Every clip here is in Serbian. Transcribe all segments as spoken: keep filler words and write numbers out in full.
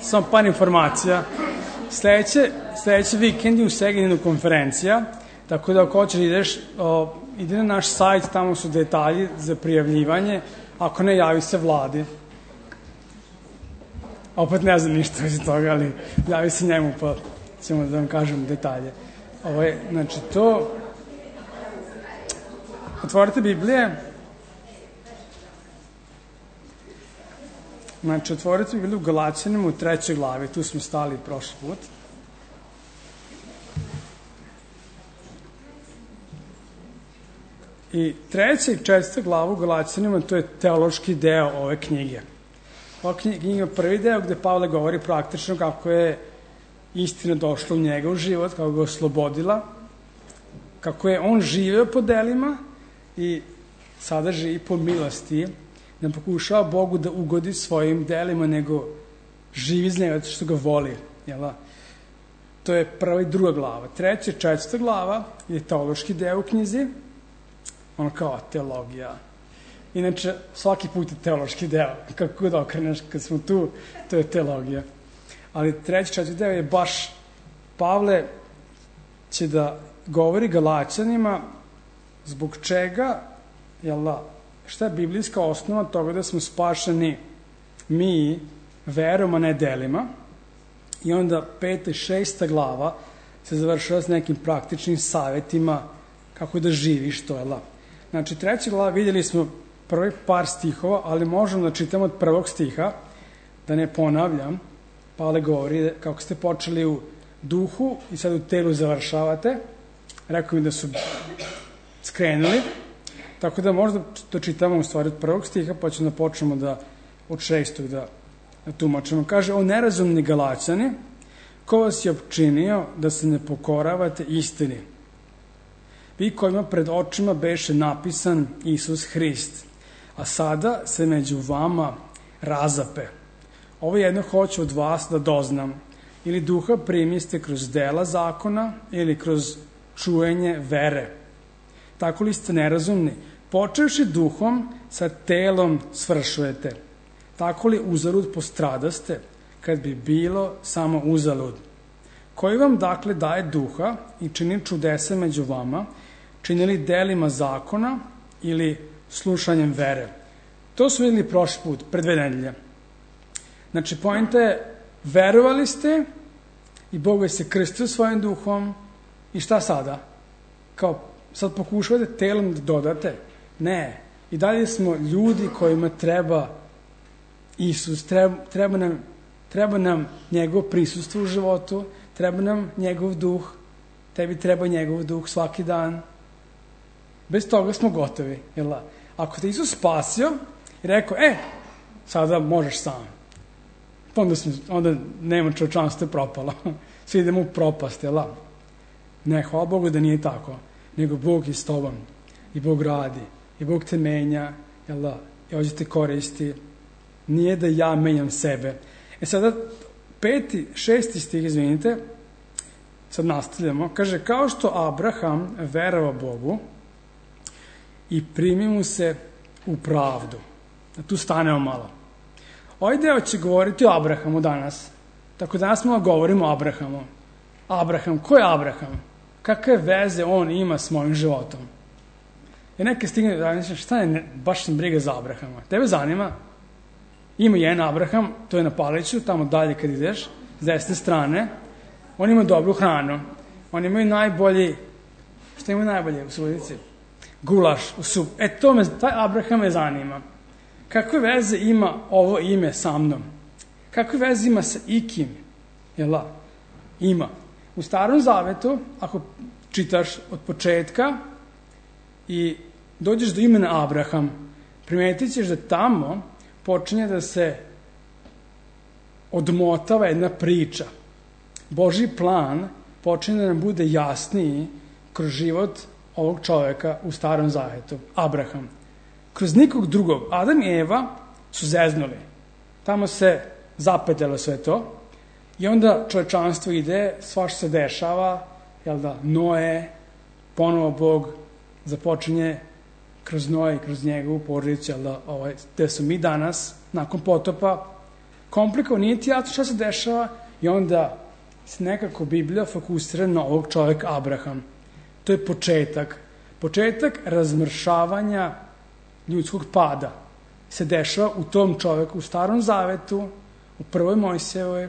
samo par informacija. Sledeće, sledeće vikend je u Segedinu konferencija, tako da ako hoćeš ideš, o, ide na naš sajt, tamo su detalji za prijavljivanje, ako ne, javi se vladi. Opet ne znam ništa iz toga, ali javi se njemu, pa ćemo da vam kažem detalje. Ovo je, znači, to... Otvorite Biblije. Znači, otvorite Bibliju u Galaćanima u trećoj glavi. Tu smo stali prošli put. I treća i četvrta glava u Galaćanima, to je teološki deo ove knjige. Ova knjiga je prvi deo gde Pavle govori praktično kako je istina došla u njega u život, kako ga oslobodila, kako je on živeo po delima i sada živi po milosti, ne pokušava Bogu da ugodi svojim delima, nego živi iz njega što ga voli. Jel? To je prva i druga glava. Treća i četvrta glava je teološki deo u knjizi, ono kao teologija. Inače, svaki put je teološki deo. Kako god okreneš, kad smo tu, to je teologija. Ali treći, četvrti deo je baš Pavle će da govori Galaćanima zbog čega, jel da, šta je biblijska osnova toga da smo spašeni mi verom, a ne delima. I onda peta i šesta glava se završava s nekim praktičnim savjetima kako da živiš to, jel da. Znači, treća glava vidjeli smo prvi par stihova, ali možemo da čitamo od prvog stiha, da ne ponavljam. Pavle govori kako ste počeli u duhu i sad u telu završavate. Rekao mi da su skrenuli. Tako da možda to čitamo u stvari od prvog stiha, pa ćemo da počnemo da od šestog da, da tumačimo. Kaže, o nerazumni Galaćani, ko vas je opčinio da se ne pokoravate istini? Vi kojima pred očima beše napisan Isus Hrist, a sada se među vama razape. Ovo jedno hoću od vas da doznam. Ili duha primiste kroz dela zakona ili kroz čujenje vere. Tako li ste nerazumni? Počevši duhom, sa telom svršujete. Tako li uzalud postradaste, kad bi bilo samo uzalud? Koji vam dakle daje duha i čini čudesa među vama, činili delima zakona ili slušanjem vere? To su vidjeli prošli put, pre dve nedelje. Znači, poenta je, verovali ste i Bog je se krstio svojim duhom i šta sada? Kao, sad pokušavate telom da dodate? Ne. I dalje smo ljudi kojima treba Isus, treba, treba, nam, treba nam njegov prisustvo u životu, treba nam njegov duh, tebi treba njegov duh svaki dan. Bez toga smo gotovi. Jel? Ako te Isus spasio i rekao, e, sada možeš sam. Onda, smo, onda nema čovječanstvo je propalo. Svi idemo u propast, jel? Ne, hvala Bogu da nije tako. Nego Bog je s tobom. I Bog radi. I Bog te menja, jel da? I ovdje te koristi. Nije da ja menjam sebe. E sada, peti, šesti stih, izvinite, sad nastavljamo. Kaže, kao što Abraham verovao Bogu i primi mu se u pravdu. Tu stanemo malo. Ovaj deo će govoriti o Abrahamu danas. Tako danas malo govorimo o Abrahamu. Abraham, ko je Abraham? Kakve veze on ima s mojim životom? I neke stigne da mislim, šta je, ne, baš sam briga za Abrahama. Tebe zanima? Ima jedan Abraham, to je na Paliću, tamo dalje kad ideš, s desne strane. On ima dobru hranu. On imaju najbolji, šta imaju najbolje u Subotici? Gulaš, u sup. E, to me, taj Abraham me zanima. Kakve veze ima ovo ime sa mnom? Kakve veze ima sa ikim? Jel da? Ima. U Starom Zavetu, ako čitaš od početka i dođeš do imena Abraham, primetit ćeš da tamo počinje da se odmotava jedna priča. Božji plan počinje da nam bude jasniji kroz život ovog čoveka u Starom Zavetu, Abraham. Kroz nikog drugog. Adam i Eva su zeznuli. Tamo se zapetljalo sve to i onda čovečanstvo ide, svašta se dešava, jel da, Noe, ponovo Bog započinje kroz Noe i kroz njegovu porodicu, jel da, ovaj, gde su mi danas, nakon potopa, komplikovano, nije ti jasno šta se dešava i onda se nekako Biblija fokusira na ovog čovjeka Abraham. To je početak. Početak razmršavanja ljudskog pada se dešava u tom čovjeku, u Starom Zavetu, u prvoj Mojsijevoj,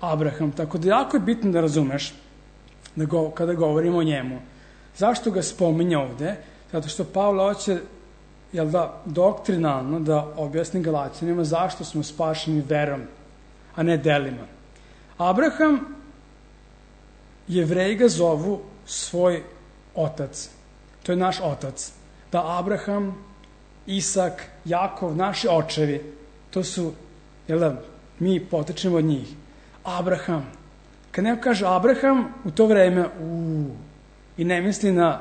Abraham. Tako da jako je bitno da razumeš da go, kada govorimo o njemu. Zašto ga spominje ovde? Zato što Pavle hoće, jel da, doktrinalno da objasni Galaćanima zašto smo spašeni verom, a ne delima. Abraham, Jevreji ga zovu svoj otac. To je naš otac. Da Abraham, Isak, Jakov, naši očevi, to su, jel da, mi potečemo od njih. Abraham. Kad neko kaže Abraham, u to vreme, uuu, i ne misli na,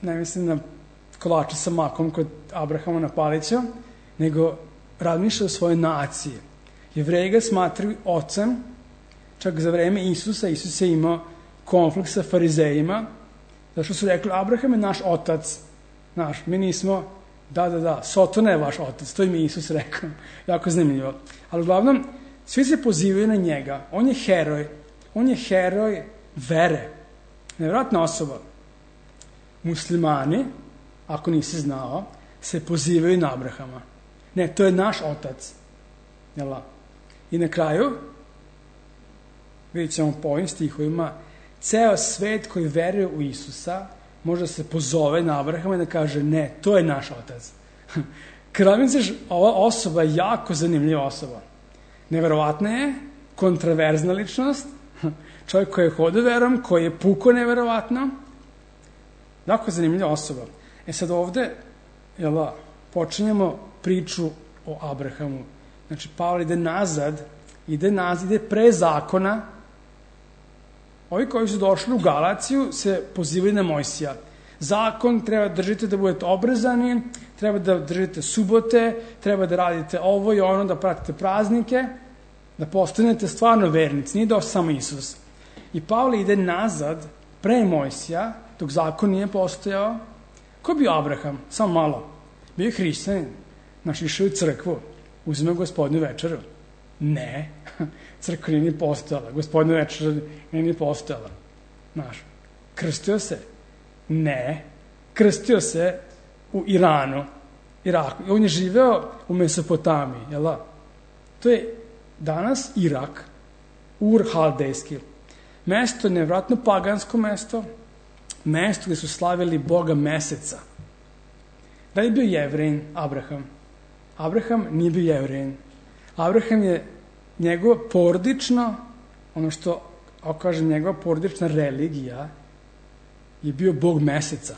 ne misli na kolače sa makom kod Abrahama na Palića, nego razmišlja o svojoj naciji. Jevreji ga smatraju ocem, čak za vreme Isusa, Isus je imao konflikt sa farizejima, zato što su rekli, Abraham je naš otac, naš, mi nismo, da, da, da, Sotona je vaš otac, to im je Isus rekao, jako zanimljivo. Ali uglavnom, svi se pozivaju na njega, on je heroj, on je heroj vere, nevjerojatna osoba. Muslimani, ako nisi znao, se pozivaju na Abrahama. Ne, to je naš otac. Jel? I na kraju, vidjet ćemo po ovim stihovima, ceo svet koji veruje u Isusa može se pozove na Abrahama i da kaže, ne, to je naš otac. Kada misliš, ova osoba je jako zanimljiva osoba. Neverovatna je, kontraverzna ličnost, čovjek koji je hodio verom, koji je puko neverovatno, jako zanimljiva osoba. E sad ovde, jel da, počinjemo priču o Abrahamu. Znači, Pavle ide nazad, ide nazad, ide pre zakona. Ovi koji su došli u Galaciju se pozivaju na Mojsija. Zakon treba da držite da budete obrezani, treba da držite subote, treba da radite ovo i ono, da pratite praznike, da postanete stvarno vernici. Nije došao samo Isus. I Pavle ide nazad, pre Mojsija, dok zakon nije postojao. Ko je bio Abraham? Samo malo. Bio je hrišćanin. Naš išao u crkvu. Uzme gospodinu večeru. Ne. Crkva nije ni postojala. Gospodinu večeru nije ni postojala. Znaš. Krstio se? Ne. Krstio se u Iranu. Iraku. I on je živeo u Mesopotamiji. Jel da? To je danas Irak. Ur Haldejski. Mesto, nevratno pagansko mesto. Mesto gde su slavili Boga meseca. Da li je bio Jevrejin Abraham? Abraham nije bio Jevrejin. Abraham je njegova porodično, ono što, ako kažem, njegova porodična religija je bio Bog meseca.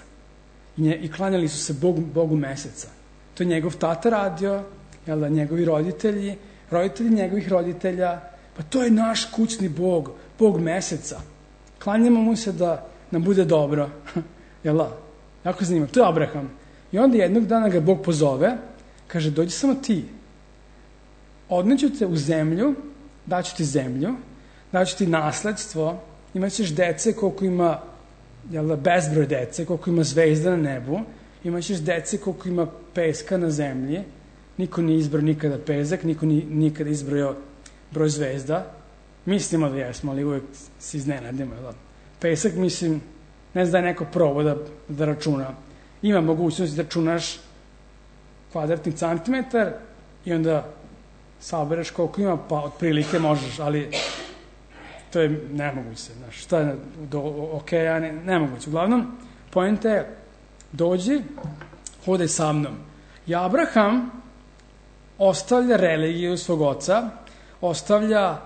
I, nje, i klanjali su se Bog, Bogu meseca. To je njegov tata radio, jel da, njegovi roditelji, roditelji njegovih roditelja. Pa to je naš kućni Bog, Bog meseca. Klanjamo mu se da nam bude dobro. Jel da? Jako zanimljivo. To je Abraham. I onda jednog dana ga Bog pozove, kaže, dođi samo ti. Odneću te u zemlju, daću ti zemlju, daću ti nasledstvo, imat ćeš dece koliko ima, jel da, bezbroj dece, koliko ima zvezda na nebu, imat ćeš dece koliko ima peska na zemlji, niko nije izbrao nikada pezak, niko nije nikada izbrojao broj zvezda. Mislimo da jesmo, ali uvek se iznenadimo. Da? Pesak, mislim, ne znam da je neko probao da, da računa. Ima mogućnost da računaš kvadratni centimetar i onda sabereš koliko ima, pa otprilike možeš, ali to je nemoguće. Znaš, šta je do okeja, ne, nemoguće. Uglavnom, poenta je, dođi, hodaj sa mnom. I Abraham ostavlja religiju svog oca, ostavlja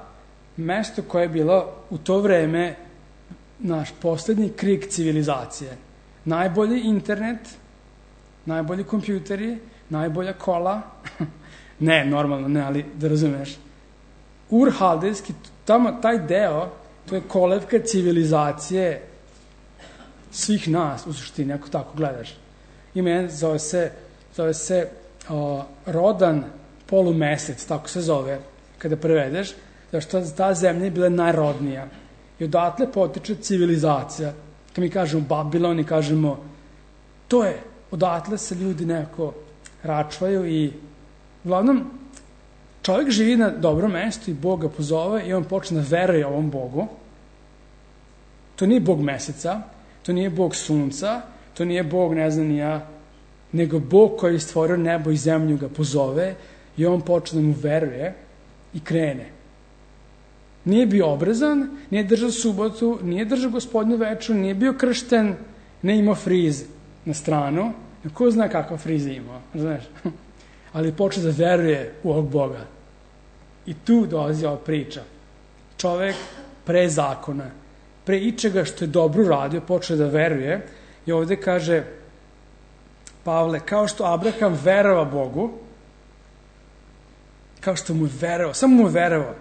mesto koje je bilo u to vreme naš poslednji krik civilizacije. Najbolji internet, najbolji kompjuteri, najbolja kola. Ne, normalno ne, ali da razumeš. Ur Haldejski, tamo, taj deo, to je kolevka civilizacije svih nas, u suštini, ako tako gledaš. Ima jedan, zove se, zove se o, rodan polumesec, tako se zove, kada prevedeš, zašto ta zemlja je bila najrodnija. I odatle potiče civilizacija. Kad mi kažemo Babilon i kažemo, to je, odatle se ljudi nekako račvaju i uglavnom, čovjek živi na dobrom mestu i Bog ga pozove i on počne da veruje ovom Bogu. To nije Bog meseca, to nije Bog sunca, to nije Bog, ne znam ni ja, nego Bog koji je stvorio nebo i zemlju ga pozove i on počne da mu veruje i krene. Nije bio obrezan, nije držao subotu, nije držao Gospodnju večeru, nije bio kršten, ne imao friz na stranu. Ko zna kakva friza imao, znaš? Ali počne da veruje u ovog Boga. I tu dolazi ova priča. Čovek pre zakona, pre ičega što je dobro uradio, počne da veruje i ovde kaže Pavle, kao što Abraham verova Bogu, kao što mu je verovao, samo mu je verovao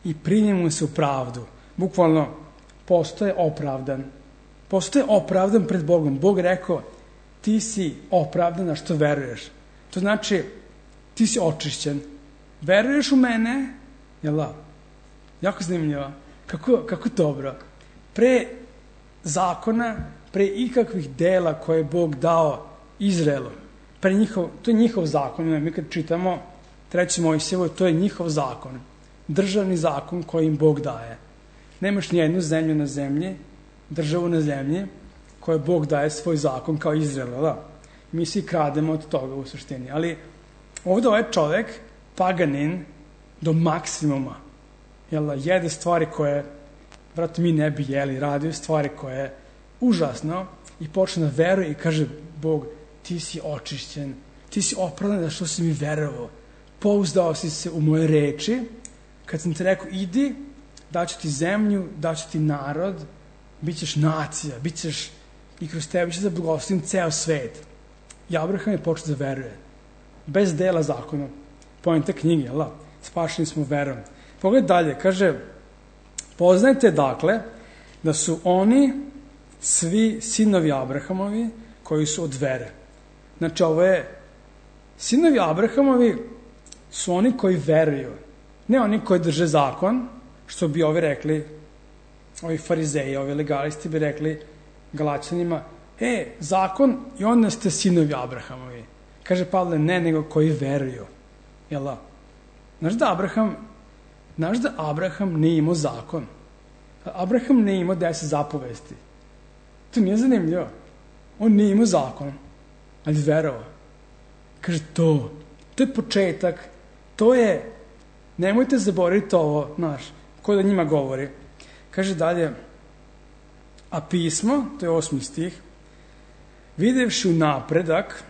i primi mu se u pravdu. Bukvalno, postoje opravdan. Postoje opravdan pred Bogom. Bog rekao, ti si opravdan na što veruješ. To znači, ti si očišćen. Veruješ u mene, jel da? Jako zanimljivo. Kako, kako dobro. Pre zakona, pre ikakvih dela koje je Bog dao Izraelu, pre njihov, to je njihov zakon. Mi kad čitamo treći Mojsijevo, to je njihov zakon. Državni zakon koji im Bog daje. Nemaš nijednu zemlju na zemlji, državu na zemlji, koje Bog daje svoj zakon kao Izrael, da? Mi svi krademo od toga u suštini. Ali ovdje ovaj čovek, paganin, do maksimuma, jel, jede stvari koje, vratno, mi ne bi jeli, radio stvari koje je užasno i počne da veruje i kaže Bog, ti si očišćen, ti si opravdan da što si mi verovao, pouzdao si se u moje reči, kad sam ti rekao idi, daću ti zemlju, daću ti narod, bit ćeš nacija, bit ćeš i kroz tebe će da blagoslovim ceo svet. I Abraham je počeo da veruje. Bez dela zakona. Pojenta knjige, jel da? Spašeni smo verom. Pogledaj dalje, kaže, poznajte dakle da su oni svi sinovi Abrahamovi koji su od vere. Znači, ovo je, sinovi Abrahamovi su oni koji veruju. Ne oni koji drže zakon, što bi ovi rekli, ovi farizeji, ovi legalisti bi rekli Galaćanima, e, zakon i onda ste sinovi Abrahamovi. Kaže Pavle, ne, nego koji veruju. Jel da? Znaš da Abraham, znaš da Abraham nije imao zakon? Abraham nije imao deset zapovesti. To nije zanimljivo. On nije imao zakon, ali verovao. Kaže, to, to je početak, to je, nemojte zaboraviti ovo, znaš, ko da njima govori. Kaže dalje, a pismo, to je osmi stih, videvši unapredak,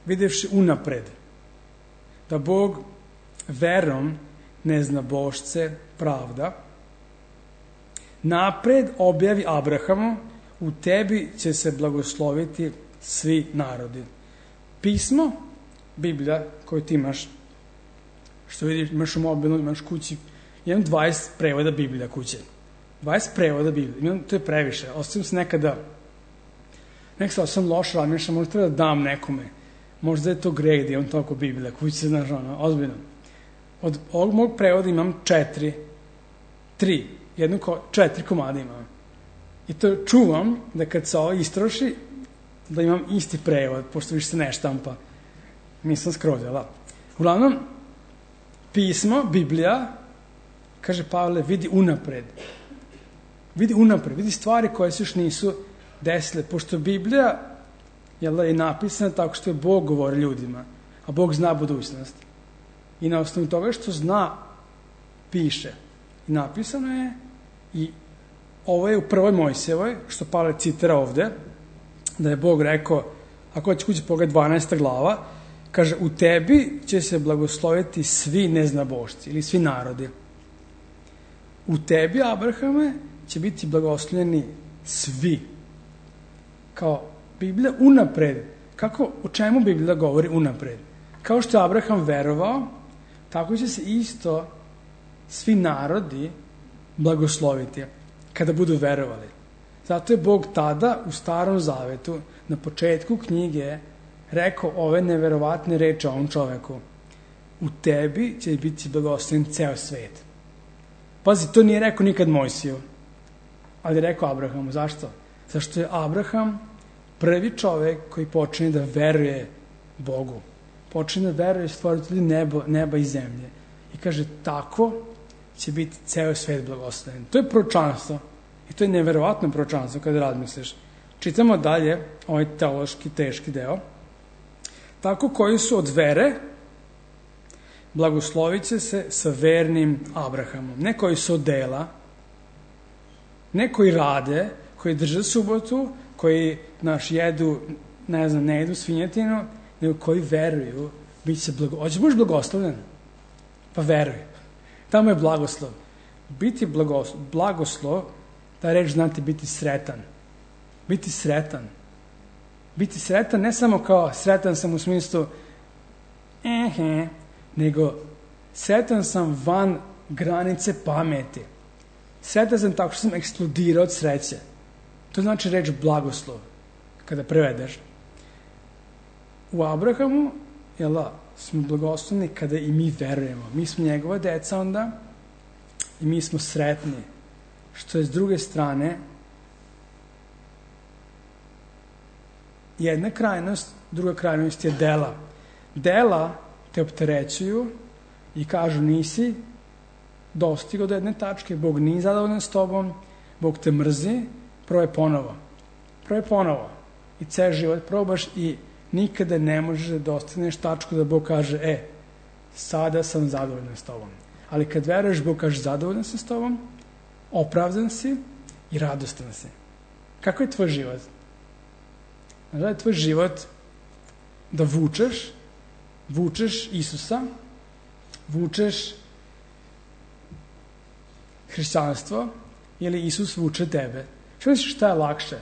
videvši unapred, da Bog verom ne zna božce pravda, napred objavi Abrahamu, u tebi će se blagosloviti svi narodi. Pismo, Biblija koju ti imaš, što vidiš, imaš u mobilu, imaš kući, imam dvadeset prevoda Biblija kuće. dvadeset prevoda Biblija, imam, to je previše. Ostavim se nekada, nekada sam loš razmišljam, možda treba da dam nekome. Možda je to greh da imam toliko Biblija kuće, znaš, ono, ozbiljno. Od ovog mog prevoda imam četiri, tri, jednu, ko, četiri komada imam. I to čuvam da kad se ovo istroši, da imam isti prevod, pošto više se ne štampa. Nisam skroz, jel da? Uglavnom, pismo, Biblija, kaže Pavle, vidi unapred. Vidi unapred, vidi stvari koje se još nisu desile, pošto Biblija jel, je napisana tako što je Bog govori ljudima, a Bog zna budućnost. I na osnovu toga što zna, piše. I napisano je, i ovo je u prvoj Mojsijevoj, što Pavle citira ovde, da je Bog rekao, ako će kući pogled dvanaesta glava, kaže, u tebi će se blagosloviti svi neznabošci ili svi narodi. U tebi, Abrahame, će biti blagoslovljeni svi. Kao Biblija unapred. Kako, o čemu Biblija govori unapred? Kao što je Abraham verovao, tako će se isto svi narodi blagosloviti kada budu verovali. Zato je Bog tada u Starom Zavetu, na početku knjige, rekao ove neverovatne reči ovom čoveku. U tebi će biti blagoslovljen ceo svet. Pazi, to nije rekao nikad Mojsiju, ali je rekao Abrahamu. Zašto? Zašto je Abraham prvi čovek koji počne da veruje Bogu. počne da veruje stvoritelju nebo, neba i zemlje. I kaže, tako će biti ceo svet blagosloven. To je proročanstvo. I to je neverovatno proročanstvo kada razmisliš. Čitamo dalje ovaj teološki teški deo. Tako koji su od vere, blagoslovit će se sa vernim Abrahamom. Ne koji su od dela, ne koji rade, koji drže subotu, koji naš jedu, ne znam, ne jedu svinjetinu, nego koji veruju, bit će blago... Hoće budeš blagoslovljen? Pa veruj. Tamo je blagoslov. Biti blagoslov, blagoslov, ta reč znate biti sretan. Biti sretan. Biti sretan ne samo kao sretan sam u smislu ehe, nego sretan sam van granice pameti. Sretan sam tako što sam eksplodirao od sreće. To znači reč blagoslov, kada prevedeš. U Abrahamu, jela, smo blagoslovni kada i mi verujemo. Mi smo njegova deca onda i mi smo sretni. Što je s druge strane jedna krajnost, druga krajnost je dela. Dela te opterećuju i kažu nisi dostigao do jedne tačke, Bog nije zadovoljan s tobom, Bog te mrzi, probaj ponovo. Probaj ponovo. I ceo život probaš i nikada ne možeš da dostigneš tačku da Bog kaže, e, sada sam zadovoljan s tobom. Ali kad veruješ, Bog kaže, zadovoljan sam s tobom, opravdan si i radostan si. Kako je tvoj život? Da je tvoj život da vučeš, vučeš Isusa, vučeš hrišćanstvo ili Isus vuče tebe. Što misliš šta je lakše?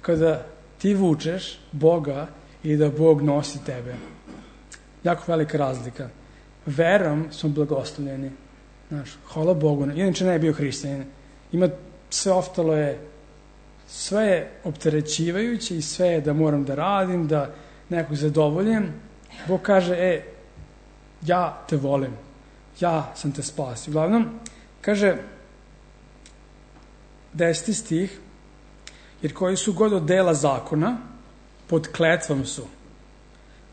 Kada ti vučeš Boga i da Bog nosi tebe. Jako velika razlika. Verom smo blagoslovljeni. Znaš, hvala Bogu. Inače ne je bio hrišćanin. Ima sve ostalo je sve je opterećivajuće i sve je da moram da radim, da nekog zadovoljim. Bog kaže, e, ja te volim. Ja sam te spasio. Uglavnom, kaže deseti stih, jer koji su god od dela zakona, pod kletvom su.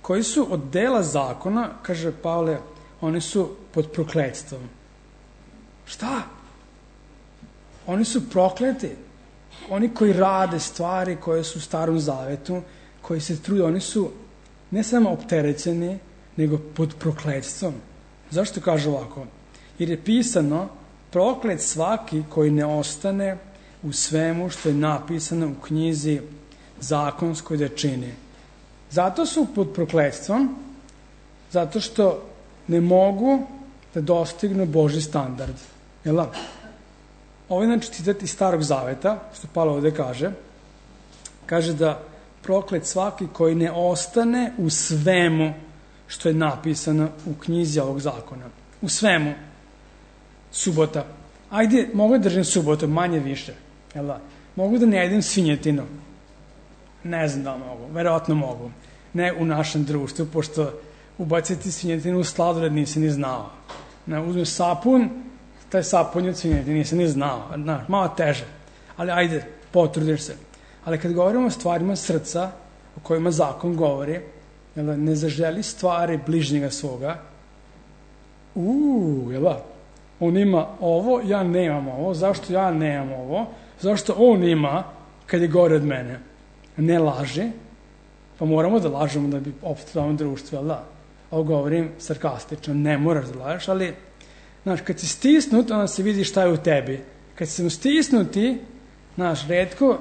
Koji su od dela zakona, kaže Pavle, oni su pod prokletstvom. Šta? Oni su prokleti. Oni koji rade stvari koje su u Starom Zavetu, koji se trude, oni su ne samo opterećeni, nego pod prokletstvom. Zašto kaže ovako? Jer je pisano, proklet svaki koji ne ostane u svemu što je napisano u knjizi zakonskoj da čini. Zato su pod prokletstvom, zato što ne mogu da dostignu Božji standard. Jel' ovo je znači citat iz Starog Zaveta, što Pavle ovde kaže. Kaže da proklet svaki koji ne ostane u svemu što je napisano u knjizi ovog zakona. U svemu. Subota. Ajde, mogu da držim subotu, manje više. Jel da? Mogu da ne jedem svinjetinu. Ne znam da mogu. Verovatno mogu. Ne u našem društvu, pošto ubaciti svinjetinu u sladoled nisi ni znao. Ne, uzmeš sapun, taj sapun je od svinjetine, nisi ni znao. Na, malo teže. Ali ajde, potrudiš se. Ali kad govorimo o stvarima srca, o kojima zakon govori, jel da, ne zaželi stvari bližnjega svoga, uuu, jel da, on ima ovo, ja nemam ovo, zašto ja nemam ovo, zašto on ima kad je gore od mene. Ne laži, pa moramo da lažemo da bi opstalo u društvu, jel da? Ovo govorim sarkastično, ne moraš da lažeš, ali, znaš, kad si stisnut, onda se vidi šta je u tebi. Kad si stisnuti, znaš, redko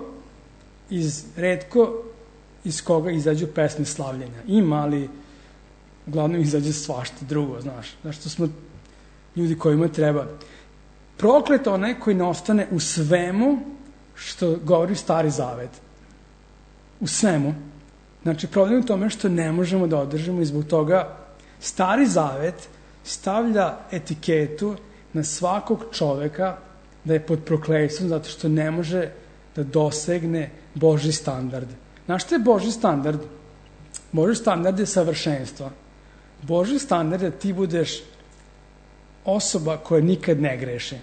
iz, redko iz koga izađu pesme slavljenja. Ima, ali uglavnom izađe svašta drugo, znaš. Znaš, to smo ljudi kojima treba. Proklet onaj koji ne ostane u svemu što govori Stari Zavet. U svemu. Znači, problem je u tome što ne možemo da održimo i zbog toga Stari Zavet stavlja etiketu na svakog čoveka da je pod prokletstvom zato što ne može da dosegne Božji standard. Znaš što je Božji standard? Božji standard je savršenstvo. Božji standard je da ti budeš osoba koja nikad ne greši.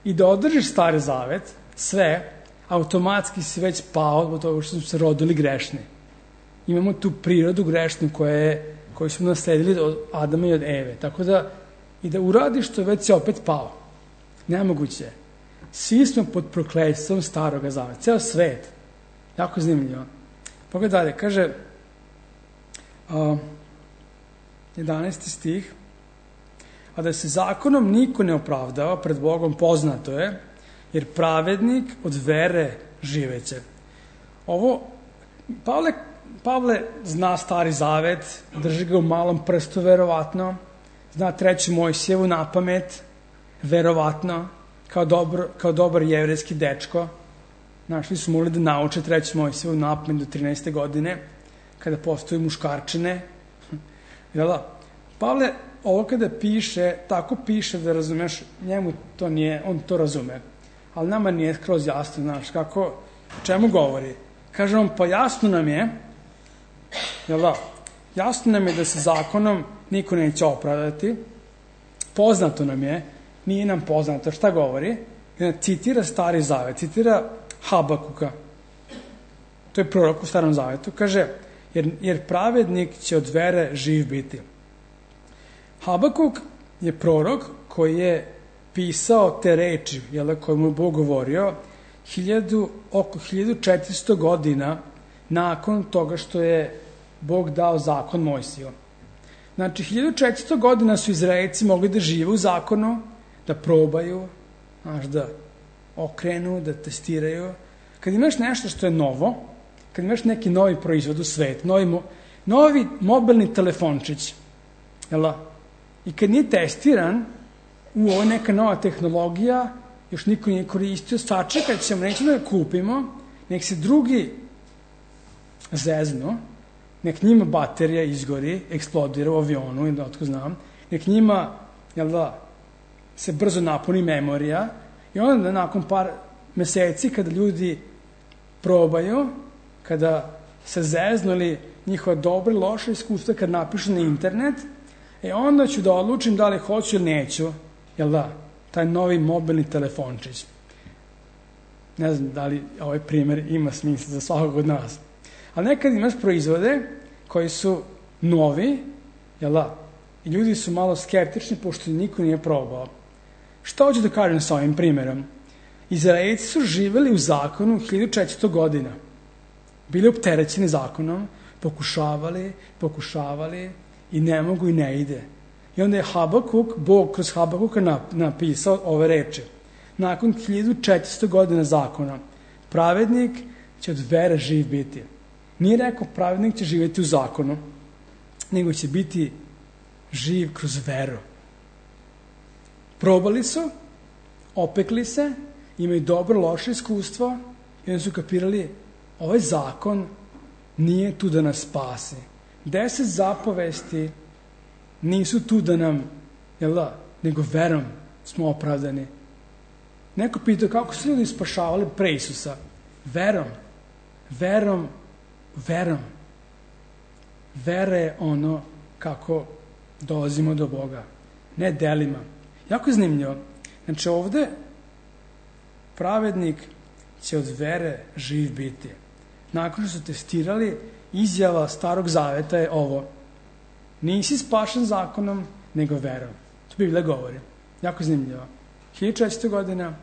I da održiš Stari Zavet, sve, automatski si već pao od toga što su se rodili grešni. imamo tu prirodu grešnu koja je, koju smo nasledili od Adama i od Eve. Tako da, i da uradiš to, već si opet pao. Nemoguće. Svi smo pod prokletstvom Staroga zaveta. Ceo svet. Jako zanimljivo. Pogledaj dalje. Kaže, uh, jedanaesti stih, a da se zakonom niko ne opravdava pred Bogom poznato je, jer pravednik od vere živeće. Ovo, Pavle, Pavle zna Stari zavet, drži ga u malom prstu verovatno, zna treću Mojsijevu na pamet, verovatno, kao, dobro, kao dobar jevrejski dečko. Našli su morali da nauče treću Mojsijevu na pamet do trinaeste godine, kada postoji muškarčine. Jel da? Pavle ovo kada piše, tako piše da razumeš, njemu to nije, on to razume. Ali nama nije skroz jasno, znaš, kako, čemu govori. Kaže on, pa jasno nam je, jel da, jasno nam je da se zakonom niko neće opravdati, poznato nam je, nije nam poznato, šta govori? Citira Stari zavet, citira Habakuka, to je prorok u Starom zavetu, kaže, jer, jer pravednik će od vere živ biti. Habakuk je prorok koji je pisao te reči, jel, koje mu je Bog govorio, hiljadu, oko hiljadu četiristo godina nakon toga što je Bog dao zakon Mojsiju. Znači, hiljadu četiristo godina su Izraelci mogli da žive u zakonu, da probaju, znaš, da okrenu, da testiraju. Kad imaš nešto što je novo, kad imaš neki novi proizvod u svetu, novi, mo, novi mobilni telefončić, jel, i kad nije testiran, u ovo neka nova tehnologija, još niko nije koristio, sačekat ćemo, nećemo da ga kupimo, nek se drugi zeznu, nek njima baterija izgori, eksplodira u avionu, ili da otko znam, nek njima, jel da, se brzo napuni memorija, i onda nakon par meseci, kada ljudi probaju, kada se zeznu ili njihova dobra i loša iskustva, kad napišu na internet, e onda ću da odlučim da li hoću ili neću, jel da, taj novi mobilni telefončić. Ne znam da li ovaj primjer ima smisla za svakog od nas. Ali nekad imaš proizvode koji su novi, jel da, i ljudi su malo skeptični pošto niko nije probao. Šta hoću da kažem sa ovim primjerom? Izraelci su živeli u zakonu hiljadu četiristo godina. Bili opterećeni zakonom, pokušavali, pokušavali i ne mogu i ne ide. I onda je Habakuk, Bog kroz Habakuka napisao ove reči. Nakon hiljadu četiristo godina zakona, pravednik će od vere živ biti. Nije rekao pravednik će živjeti u zakonu, nego će biti živ kroz veru. Probali su, opekli se, imaju dobro, loše iskustvo i onda su kapirali, ovaj zakon nije tu da nas spasi. Deset zapovesti nisu tu da nam, jel da, nego verom smo opravdani. Neko pitao kako su ljudi spašavali pre Isusa? Verom. Verom. Verom. Vera je ono kako dolazimo do Boga. Ne delima. Jako je zanimljivo. Znači ovde pravednik će od vere živ biti. Nakon što su testirali, izjava Starog zaveta je ovo. Nisi spašen zakonom, nego verom. To Biblija govori. Jako zanimljivo. hiljadu četiristo godina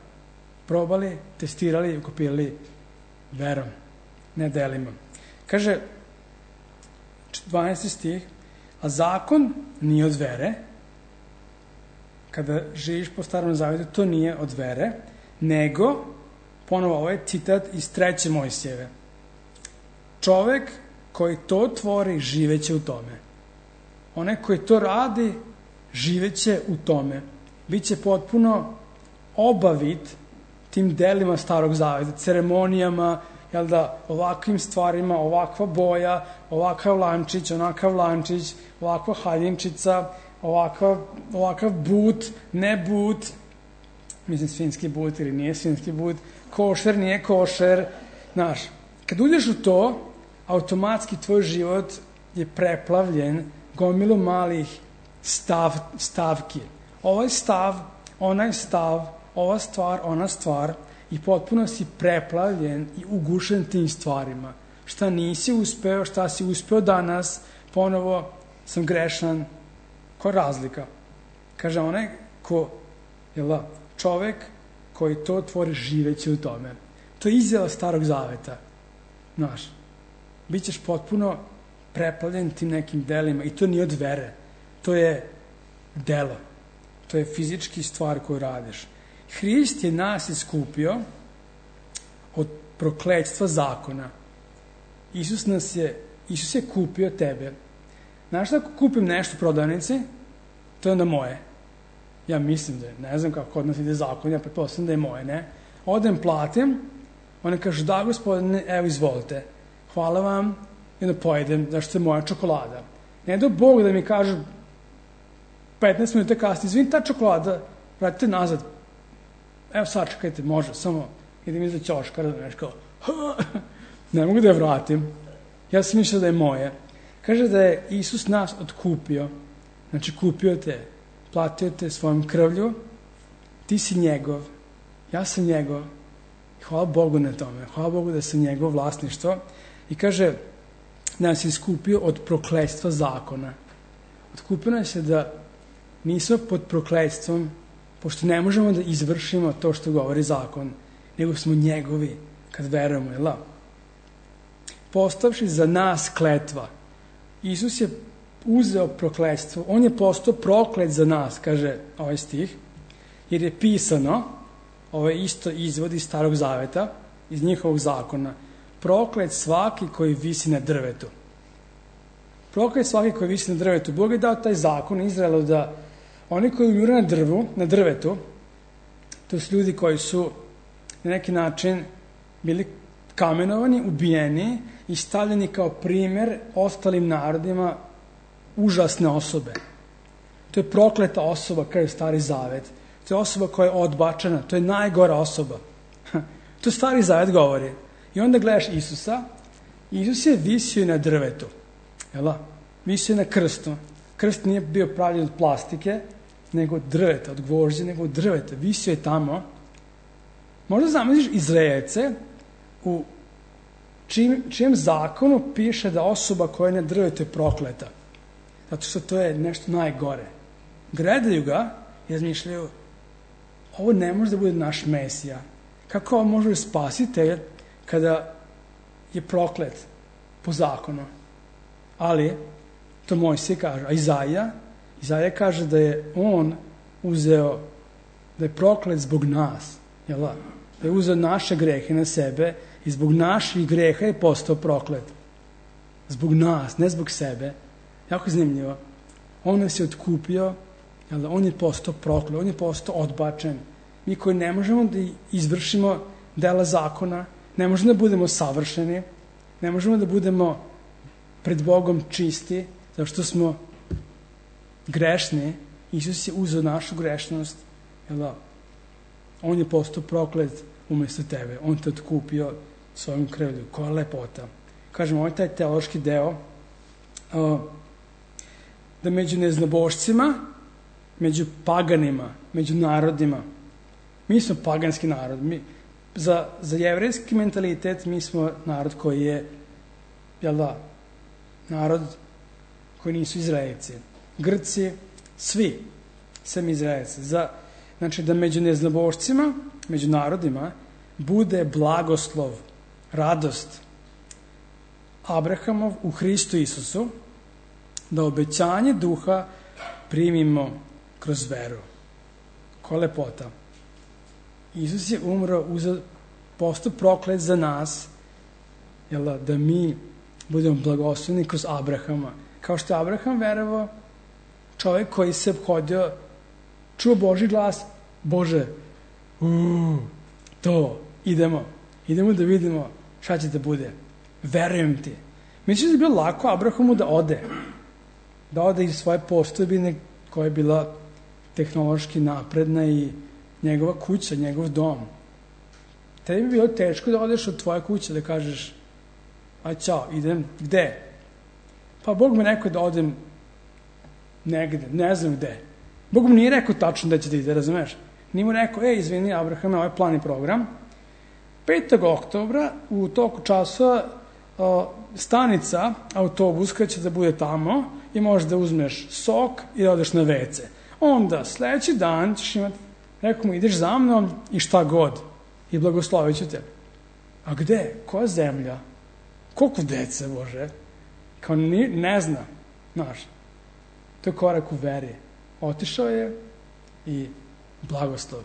probali, testirali i ukopirali verom, ne delima. Kaže, dvanaesti stih, a zakon nije od vere. Kada živiš po Starom zavetu, to nije od vere, nego, ponovo ovo je citat iz treće Mojsijeve. Čovek koji to tvori, živeće u tome. Onaj koji to radi, živeće u tome. Biće potpuno obavit tim delima Starog zaveta, ceremonijama, jel da, ovakvim stvarima, ovakva boja, ovakav lančić, onakav lančić, ovakva haljinčica, ovakav, ovakav but, ne but, mislim svinjski but ili nije svinjski but, košer, nije košer, znaš, kad uđeš u to, automatski tvoj život je preplavljen gomilu malih stav, stavki. Ovaj stav, onaj stav, ova stvar, ona stvar i potpuno si preplavljen i ugušen tim stvarima. šta nisi uspeo, šta si uspeo danas, ponovo sam grešan. Koja je razlika? Kaže, onaj ko, jel, čovek koji to tvori živeći u tome. To je izjava Starog Zaveta. Znaš, bit ćeš potpuno preplavljen tim nekim delima i to nije od vere. To je delo. To je fizički stvar koju radiš. Hrist je nas iskupio od prokletstva zakona. Isus nas je, Isus je kupio tebe. Znaš da ako kupim nešto u prodavnici, to je onda moje. Ja mislim da je, ne znam kako kod nas ide zakon, ja pretpostavljam da je moje, ne? Odem, platim, ona kaže, da gospodine, evo izvolite, hvala vam, i onda pojedem, zašto je moja čokolada. Ne do Bog da mi kaže petnaest minuta kasnije, izvini, ta čokolada, vratite nazad. Evo sad čekajte, može, samo idem iza ćoškara, da nešto kao, ne mogu da je vratim. Ja sam mislio da je moje. Kaže da je Isus nas otkupio, znači kupio te, platio te svojom krvlju, ti si njegov, ja sam njegov, hvala Bogu na tome, hvala Bogu da sam njegov vlasništvo. I kaže, da nas je iskupio od prokletstva zakona. Otkupio nas je da nismo pod prokletstvom, pošto ne možemo da izvršimo to što govori zakon, nego smo njegovi kad verujemo, jel da? Postavši za nas kletva, Isus je uzeo prokletstvo, on je postao proklet za nas, kaže ovaj stih, jer je pisano, ovo je isto izvod iz Starog Zaveta, iz njihovog zakona, proklet svaki koji visi na drvetu. Proklet svaki koji visi na drvetu. Bog je dao taj zakon Izraelu da oni koji umire na drvu, na drvetu, to su ljudi koji su na neki način bili kamenovani, ubijeni i stavljeni kao primer ostalim narodima užasne osobe. To je prokleta osoba, kao je Stari Zavet. To je osoba koja je odbačena, to je najgora osoba. To Stari Zavet govori. I onda gledaš Isusa, Isus je visio na drvetu, jel? Visio na krstu. Krst nije bio pravljen od plastike, nego od drveta, od gvožđa, nego od drveta. Visio je tamo. Možda zamisliš Izraelce u čijem, čijem zakonu piše da osoba koja je na drvetu je prokleta. Zato što to je nešto najgore. Gledaju ga i razmišljaju, ovo ne može da bude naš Mesija. Kako ovo može spasitelj kada je proklet po zakonu? Ali, to Mojsije kaže, a Izaija, Izaija kaže da je on uzeo, da je proklet zbog nas, jel da? Da je uzeo naše grehe na sebe i zbog naših greha je postao proklet. Zbog nas, ne zbog sebe. Jako zanimljivo. On nas je otkupio, jel da? On je postao proklet, on je postao odbačen. Mi koji ne možemo da izvršimo dela zakona, ne možemo da budemo savršeni, ne možemo da budemo pred Bogom čisti, zato što smo grešni. Isus je uzeo našu grešnost, jel da? On je postao proklet umjesto tebe. On te otkupio svojom krvlju. Koja lepota. Kažemo, ovo je taj teološki deo, da među neznabošcima, među paganima, među narodima, mi smo paganski narod. Mi, za, za jevrejski mentalitet mi smo narod koji je, jel da, narod koji nisu Izraelci. Grci, svi, sem Izraelci. Za, znači da među neznabošcima, među narodima, bude blagoslov, radost Abrahamov u Hristu Isusu, da obećanje duha primimo kroz veru. Koja lepota. Isus je umro, postao proklet za nas, jel da, da mi budemo blagosloveni kroz Abrahama. Kao što je Abraham verovao, čovjek koji se obhodio, čuo Božji glas, Bože, uu, to, idemo, idemo da vidimo šta će da bude. Verujem ti. Mislim da je bilo lako Abrahamu da ode, da ode iz svoje postojbine koja je bila tehnološki napredna i njegova kuća, njegov dom. Tebi bi bilo teško da odeš od tvoje kuće, da kažeš, aj čao, idem, gde? Pa Bog me rekao da odem negde, ne znam gde. Bog mu nije rekao tačno da će da ide, razumeš? Nije mu rekao, ej, izvini, Abrahame, ovaj plan i program. petog oktobra u toku časa stanica, autobus kada će da bude tamo i možeš da uzmeš sok i da odeš na ve ce. Onda sledeći dan ćeš imati, rekao mu, ideš za mnom i šta god i blagoslovit ću te. A gde? Koja zemlja? Koliko dece, Bože? Kao ni, ne zna, znaš. To je korak u veri. Otišao je i blagoslov.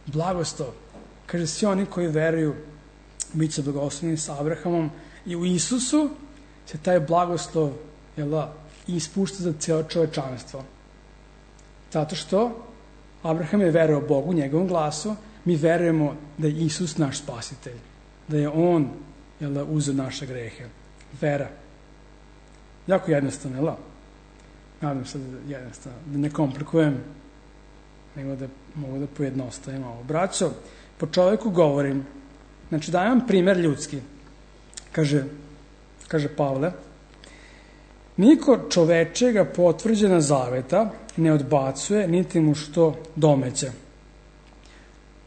Blagoslov. Kaže, svi oni koji veruju bit će blagosloveni sa Abrahamom i u Isusu se taj blagoslov jel, ispušta za cijelo čovečanstvo. Zato što Abraham je verovao Bogu, njegovom glasu, mi verujemo da je Isus naš spasitelj, da je On jel, uzeo naše grehe. Vera. Jako jednostavno, jel? Nadam se da je jednostavno, da ne komplikujem, nego da mogu da pojednostavim ovo. Braćo, po čoveku govorim, znači dajem primer ljudski, kaže, kaže Pavle, niko čovečega potvrđena zaveta ne odbacuje, niti mu što domeće.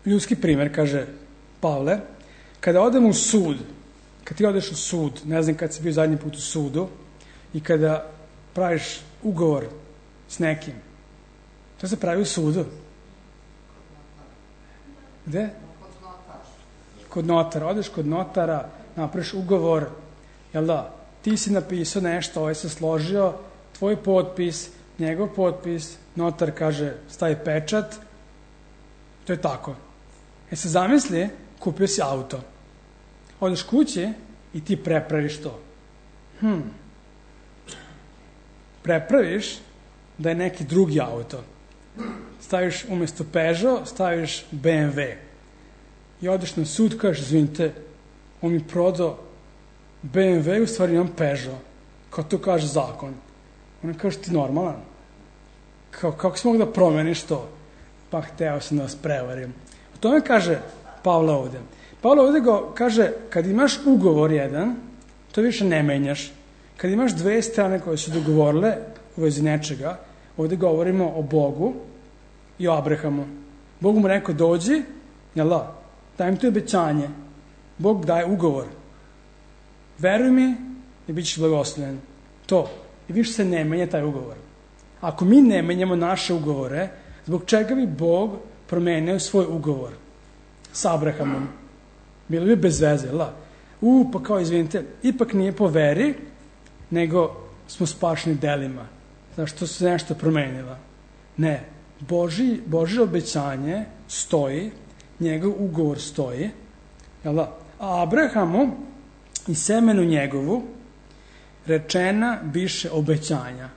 Ljudski primer, kaže Pavle, kada odem u sud, kad ti odeš u sud, ne znam kad si bio zadnji put u sudu, i kada praviš ugovor s nekim, to se pravi u sudu. Gde? Kod notara. Odeš kod notara, napraviš ugovor, jel da, ti si napisao nešto, ovaj se složio, tvoj potpis, njegov potpis, notar kaže stavi pečat, to je tako. E se zamisli, kupio si auto. Odeš kući i ti prepraviš to. Hm. Prepraviš da je neki drugi auto. Staviš umjesto Peugeot, staviš be em ve. I odeš na sud, kažeš, izvinite, on mi prodao be em ve, u stvari imam Peugeot. Kao to kaže zakon. Ona kaže, ti normalan. Kao, kako si mogu da promeniš to? Pa hteo sam da vas prevarim. O tome kaže Pavle ovde. Pavle ovde go kaže, kad imaš ugovor jedan, to više ne menjaš. Kad imaš dve strane koje su dogovorile u vezi nečega, ovde govorimo o Bogu i o Abrahamu. Bog mu rekao, dođi, jel da, dajem ti obećanje. Bog daje ugovor. Veruj mi i bit ćeš blagosloven. To. I više se ne menja taj ugovor. Ako mi ne menjamo naše ugovore, zbog čega bi Bog promenio svoj ugovor sa Abrahamom? Bilo bi bez veze, jel da? U, pa kao, izvinite, ipak nije po veri, nego smo spašeni delima. Zašto se nešto promenila? Ne. Boži, Božje obećanje stoji, njegov ugovor stoji, jel da? A Abrahamu i semenu njegovu rečena biše obećanja.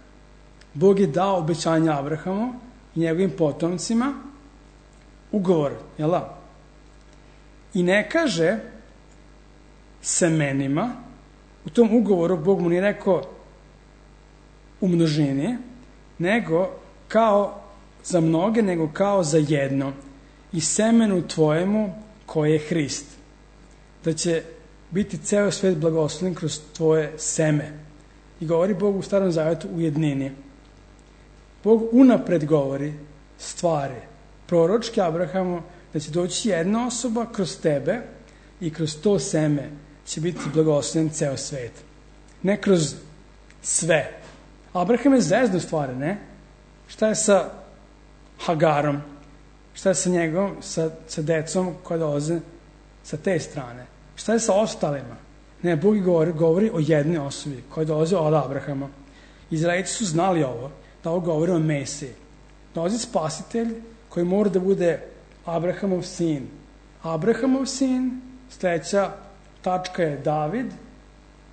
Bog je dao obećanja Abrahamu i njegovim potomcima ugovor, jel da? I ne kaže semenima, u tom ugovoru Bog mu nije rekao u množini, nego kao za mnoge, nego kao za jedno. I semenu tvojemu koje je Hrist. Da će biti ceo svet blagosloven kroz tvoje seme. I govori Bog u Starom Zavetu u jednini. Bog unapred govori stvari proročke Abrahamu da će doći jedna osoba kroz tebe i kroz to seme će biti blagosloven ceo svet. Ne kroz sve. Abraham je zvezdu stvari, ne? Šta je sa Hagarom? Šta je sa njegovom, sa, sa decom koja dolaze sa te strane? Šta je sa ostalima? Ne, Bog govori, govori o jednoj osobi koja dolazi od Abrahama. Izraelci su znali ovo, da ovo govori o Mesiji. Dolazi spasitelj koji mora da bude Abrahamov sin. Abrahamov sin, sledeća tačka je David,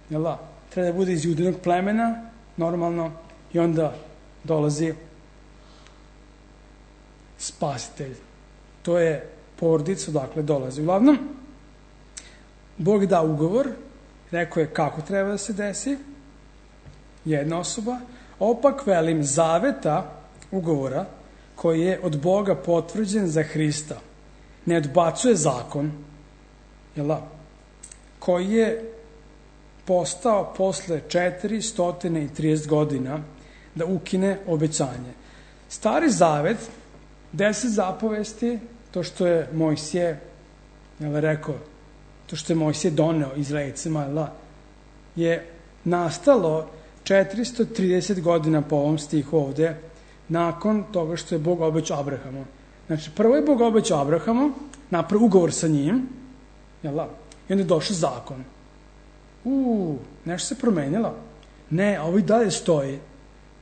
jel da? Treba da bude iz judinog plemena, normalno, i onda dolazi spasitelj. To je porodica odakle dolazi. Uglavnom, Bog da ugovor, rekao je kako treba da se desi, jedna osoba, opak velim zaveta ugovora koji je od Boga potvrđen za Hrista. Ne odbacuje zakon, jel da? Koji je postao posle četiristo trideset godina da ukine obećanje. Stari zavet, deset zapovesti, to što je Mojsije, jel rekao, to što je Mojsije doneo Izraelcima, jel da? je nastalo četiristo trideset godina po ovom stihu ovde, nakon toga što je Bog obećao Abrahamu. Znači, prvo je Bog obećao Abrahamu, napravio ugovor sa njim, jel da? I onda je došao zakon. Uuu, nešto se promenilo. Ne, ovo i dalje stoji.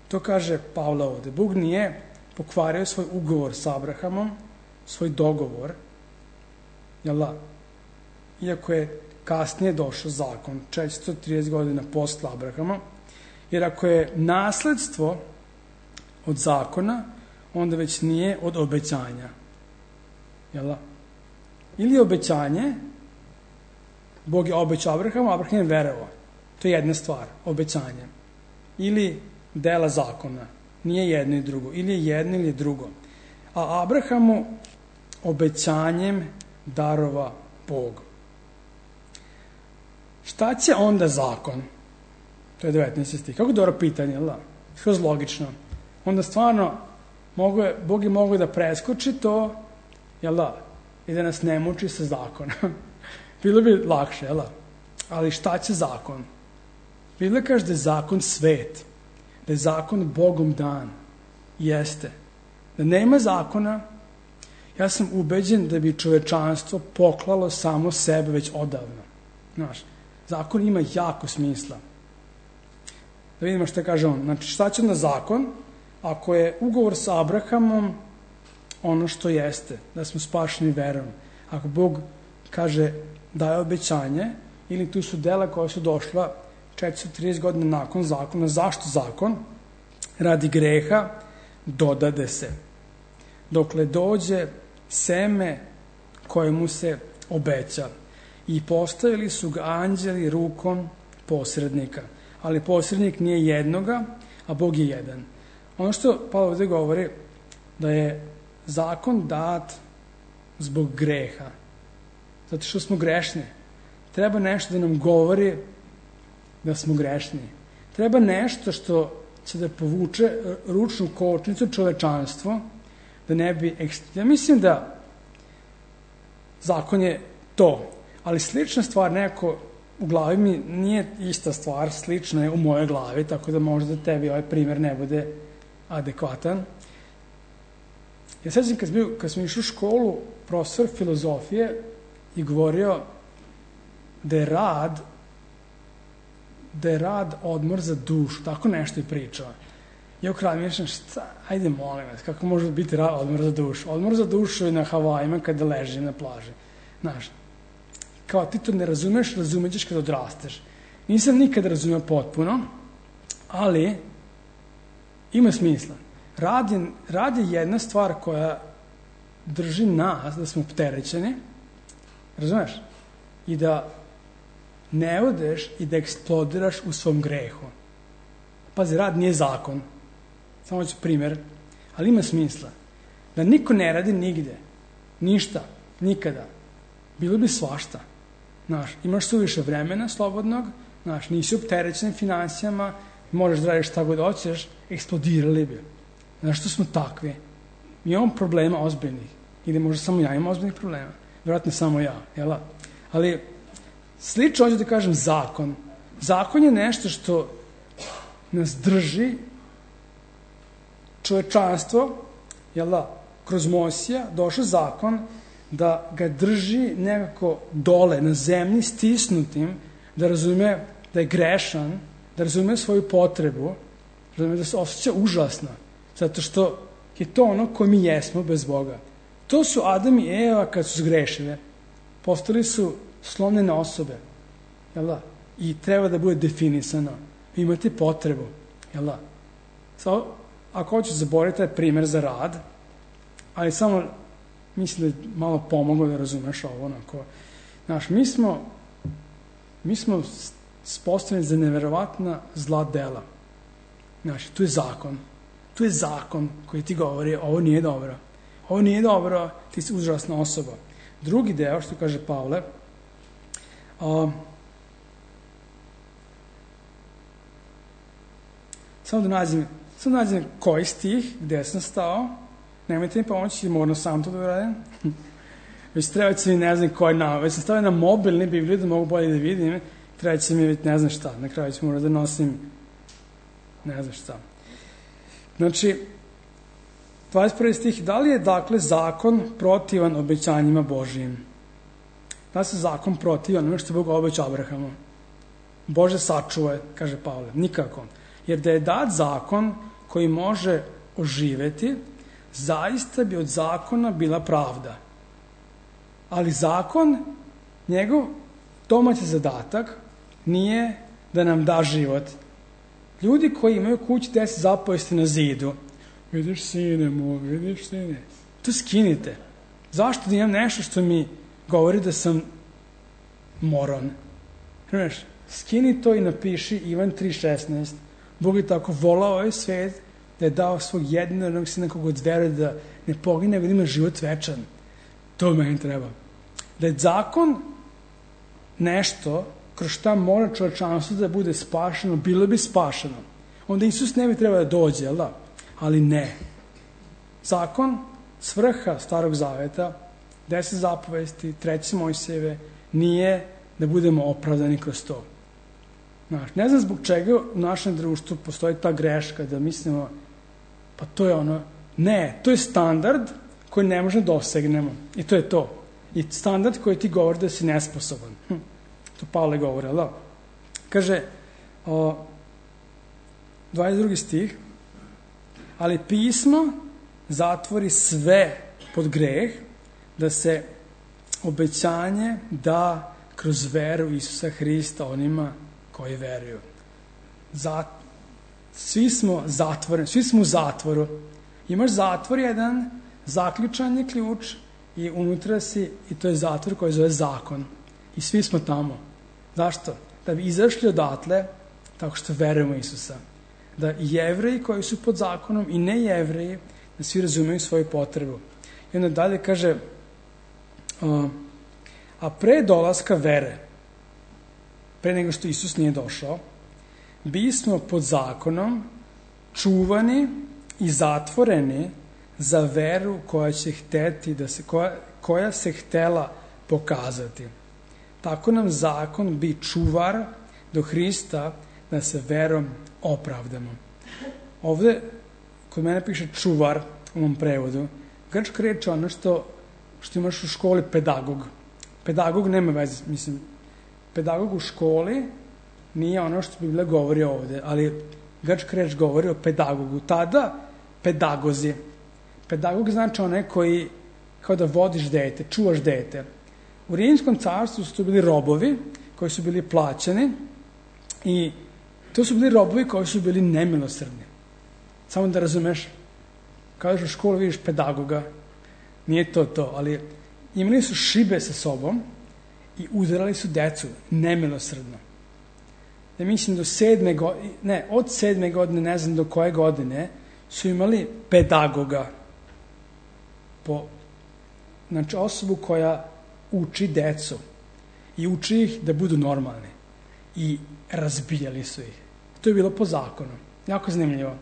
To kaže Pavle ovde. Bog nije pokvario svoj ugovor sa Abrahamom, svoj dogovor, jel da? Iako je kasnije došao zakon, četiristo trideset godina posle Abrahama, jer ako je nasledstvo od zakona, onda već nije od obećanja. Jel da? Ili obećanje, Bog je obećao Abrahamu, Abraham je verovao. To je jedna stvar, obećanje. Ili dela zakona. Nije jedno i drugo. Ili je jedno ili je drugo. A Abrahamu obećanjem darova Bog. Šta će onda zakon? To je devetnaesti stih. Kako dobro pitanje, jel da? Skroz logično. Onda stvarno mogu je, Bog je mogao da preskoči to, jel da? I da nas ne muči sa zakonom. Bilo bi lakše, jel da? Ali šta će zakon? Biblia kaže da je zakon svet. Da je zakon Bogom dan. Jeste. Da nema zakona, ja sam ubeđen da bi čovečanstvo poklalo samo sebe već odavno. Znaš, zakon ima jako smisla. Da vidimo što kaže on. Znači, šta će onda zakon ako je ugovor sa Abrahamom ono što jeste, da smo spašeni verom. Ako Bog kaže daje obećanje, ili tu su dela koja su došla četiristo trideset godina nakon zakona. Zašto zakon? Radi greha dodade se. Dokle dođe seme kojemu se obeća. I postavili su ga anđeli rukom posrednika. Ali posrednik nije jednoga, a Bog je jedan. Ono što Pavle ovdje govori, da je zakon dat zbog greha. Zato što smo grešni. Treba nešto da nam govori da smo grešni. Treba nešto što će da povuče ručnu kočnicu čovečanstvo, da ne bi... Ja mislim da zakon je to, ali slična stvar neko u glavi mi nije ista stvar, slična je u mojoj glavi, tako da možda tebi ovaj primjer ne bude adekvatan. Ja sećam kad, kad smo išli u školu, profesor filozofije je govorio da je rad da je rad odmor za dušu, tako nešto je pričao. Ja u kraju mišljam, šta, ajde molim vas, kako može biti rad odmor za dušu? Odmor za dušu je na Havajima kada ležim na plaži. Znaš, kao ti to ne razumeš, razumećeš kada odrasteš. Nisam nikada razumeo potpuno, ali ima smisla. Rad je, rad je jedna stvar koja drži nas da smo opterećeni, razumeš? I da ne odeš i da eksplodiraš u svom grehu. Pazi, rad nije zakon. Samo ću primjer. Ali ima smisla. Da niko ne radi nigde. Ništa. Nikada. Bilo bi svašta. Znaš, imaš suviše vremena slobodnog, znaš, nisi opterećen finansijama, možeš da radiš šta god hoćeš, eksplodirali bi. Znaš, što smo takvi? Mi imamo problema ozbiljnih. Ili možda samo ja imam ozbiljnih problema. Vjerojatno samo ja, jel? Ali slično hoću da kažem zakon. Zakon je nešto što nas drži, čovečanstvo, jel da, kroz Mojsija došao zakon da ga drži nekako dole, na zemlji, stisnutim, da razume da je grešan, da razume svoju potrebu, da razume da se osjeća užasno, zato što je to ono ko mi jesmo bez Boga. To su Adam i Eva kad su zgrešile. Postali su slomljene osobe, jel da? I treba da bude definisano. Vi imate potrebu, jel da? Samo, ako hoću zaboraviti taj primjer za rad, ali samo mislim da je malo pomoglo da razumeš ovo, onako. Znaš, mi smo mi smo spostavljeni za neverovatna zla dela. Znaš, tu je zakon. Tu je zakon koji ti govori, ovo nije dobro. Ovo nije dobro, ti si užasna osoba. Drugi deo, što kaže Pavle, a, samo da nađem, samo da nađem koji stih, gde sam stao, nemojte mi pomoći, moramo sam to da uradim. Već treba će mi ne znam koji nam, već sam stavio na mobilni Bibliju da mogu bolje da vidim treći mi je ne znam šta, na kraju ću morati da nosim ne znam šta. Znači, dvadeset prvi stih, da li je dakle zakon protivan obećanjima Božijim? Da li se zakon protivan ono što je Bog obećao Abrahamu? Bože sačuvaj, kaže Pavle, nikako. Jer da je dat zakon koji može oživeti, zaista bi od zakona bila pravda. Ali zakon, njegov domaći zadatak, nije da nam da život. Ljudi koji imaju kući deset zapovesti na zidu, vidiš sine moj, vidiš sine, to skinite. Zašto da imam nešto što mi govori da sam moron? Znaš, skini to i napiši Ivan tri šesnaest. Bog je tako volao ovaj svet da je dao svog jednog sina koga od veruje da ne pogine, nego da ima život večan. To meni treba. Da je zakon nešto kroz šta mora čovečanstvo da bude spašeno, bilo bi spašeno. Onda Isus ne bi trebao da dođe, jel da? Ali ne. Zakon, svrha Starog Zaveta, deset zapovesti, treće Mojsijeve, nije da budemo opravdani kroz to. Znaš, ne znam zbog čega u našem društvu postoji ta greška da mislimo, pa to je ono, ne, to je standard koji ne možemo dosegnemo. I to je to. I standard koji ti govori da si nesposoban. Hm. To Pavle govori, ali da? Kaže, o, dvadeset drugi stih, ali pismo zatvori sve pod greh, da se obećanje da kroz veru Isusa Hrista onima koji veruju. Zat, svi smo zatvoreni, svi smo u zatvoru. Imaš zatvor jedan, zaključan je ključ i unutra si, i to je zatvor koji zove zakon. I svi smo tamo. Zašto? Da bi izašli odatle tako što verujemo Isusa. Da i Jevreji koji su pod zakonom i ne Jevreji, da svi razumeju svoju potrebu. I onda dalje kaže, uh, a pre dolaska vere, pre nego što Isus nije došao, bismo pod zakonom čuvani i zatvoreni za veru koja će hteti da se, koja, koja se htela pokazati. Tako nam zakon bi čuvar do Hrista da se verom opravdamo. Ovde, kod mene piše čuvar u mom prevodu, grčka reč je ono što, što imaš u školi pedagog. Pedagog nema veze, mislim, pedagog u školi nije ono što Biblija govori ovde, ali grčka reč govori o pedagogu. Tada pedagozi. Pedagog znači onaj koji kao da vodiš dete, čuvaš dete. U Rimskom carstvu su to bili robovi koji su bili plaćeni i to su bili robovi koji su bili nemilosrdni. Samo da razumeš, kada u školu vidiš pedagoga, nije to to, ali imali su šibe sa sobom i udarali su decu nemilosrdno. Da mislim do sedme godine, ne, od sedme godine, ne znam do koje godine, su imali pedagoga, po, znači osobu koja uči decu i uči ih da budu normalni i razbijali su ih. To je bilo po zakonu. Jako zanimljivo.